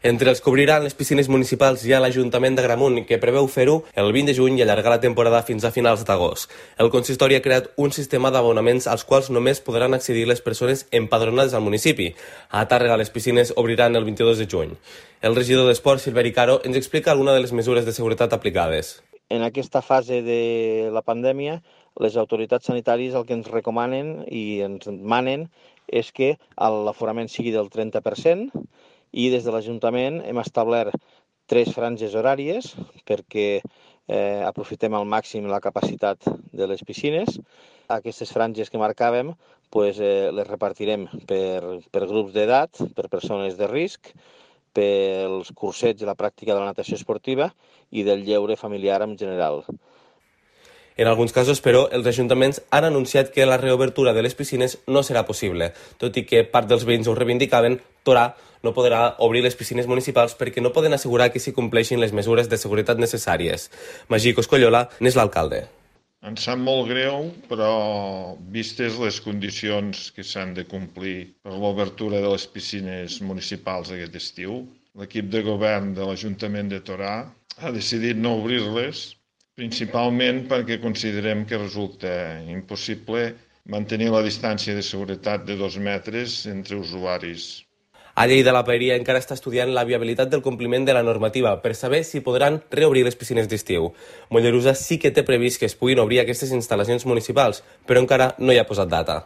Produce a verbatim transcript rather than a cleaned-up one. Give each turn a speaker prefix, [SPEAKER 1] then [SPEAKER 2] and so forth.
[SPEAKER 1] Entre els que obriran les piscines municipals hi ha l'Ajuntament d'Agramunt, que preveu fer-ho el vint de juny i allargar la temporada fins a finals d'agost. El consistori ha creat un sistema d'abonaments als quals només podran accedir les persones empadronades al municipi. A Tàrrega les piscines obriran el vint-i-dos de juny. El regidor d'Esports, Silveri Caro, ens explica alguna de les mesures de seguretat aplicades.
[SPEAKER 2] En aquesta fase de la pandèmia, les autoritats sanitàries el que ens recomanen i ens demanen és que l'aforament sigui del trenta per cent, i des de l'Ajuntament hem establert tres franges horàries perquè eh, aprofitem al màxim la capacitat de les piscines. Aquestes franges que marcàvem pues, eh, les repartirem per, per grups d'edat, per persones de risc, pels cursets i la pràctica de la natació esportiva i del lleure familiar en general.
[SPEAKER 1] En alguns casos, però, els ajuntaments han anunciat que la reobertura de les piscines no serà possible, tot i que part dels veïns ho reivindicaven. Torà no podrà obrir les piscines municipals perquè no poden assegurar que s'hi compleixin les mesures de seguretat necessàries. Magí Coscollola n'és l'alcalde.
[SPEAKER 3] Ens sap molt greu, però vistes les condicions que s'han de complir per l'obertura de les piscines municipals aquest estiu, l'equip de govern de l'Ajuntament de Torà ha decidit no obrir-les, principalment perquè considerem que resulta impossible mantenir la distància de seguretat de dos metres entre usuaris.
[SPEAKER 1] A Lleida, la Paeria encara està estudiant la viabilitat del compliment de la normativa per saber si podran reobrir les piscines d'estiu. Mollerussa sí que té previst que es puguin obrir aquestes instal·lacions municipals, però encara no hi ha posat data.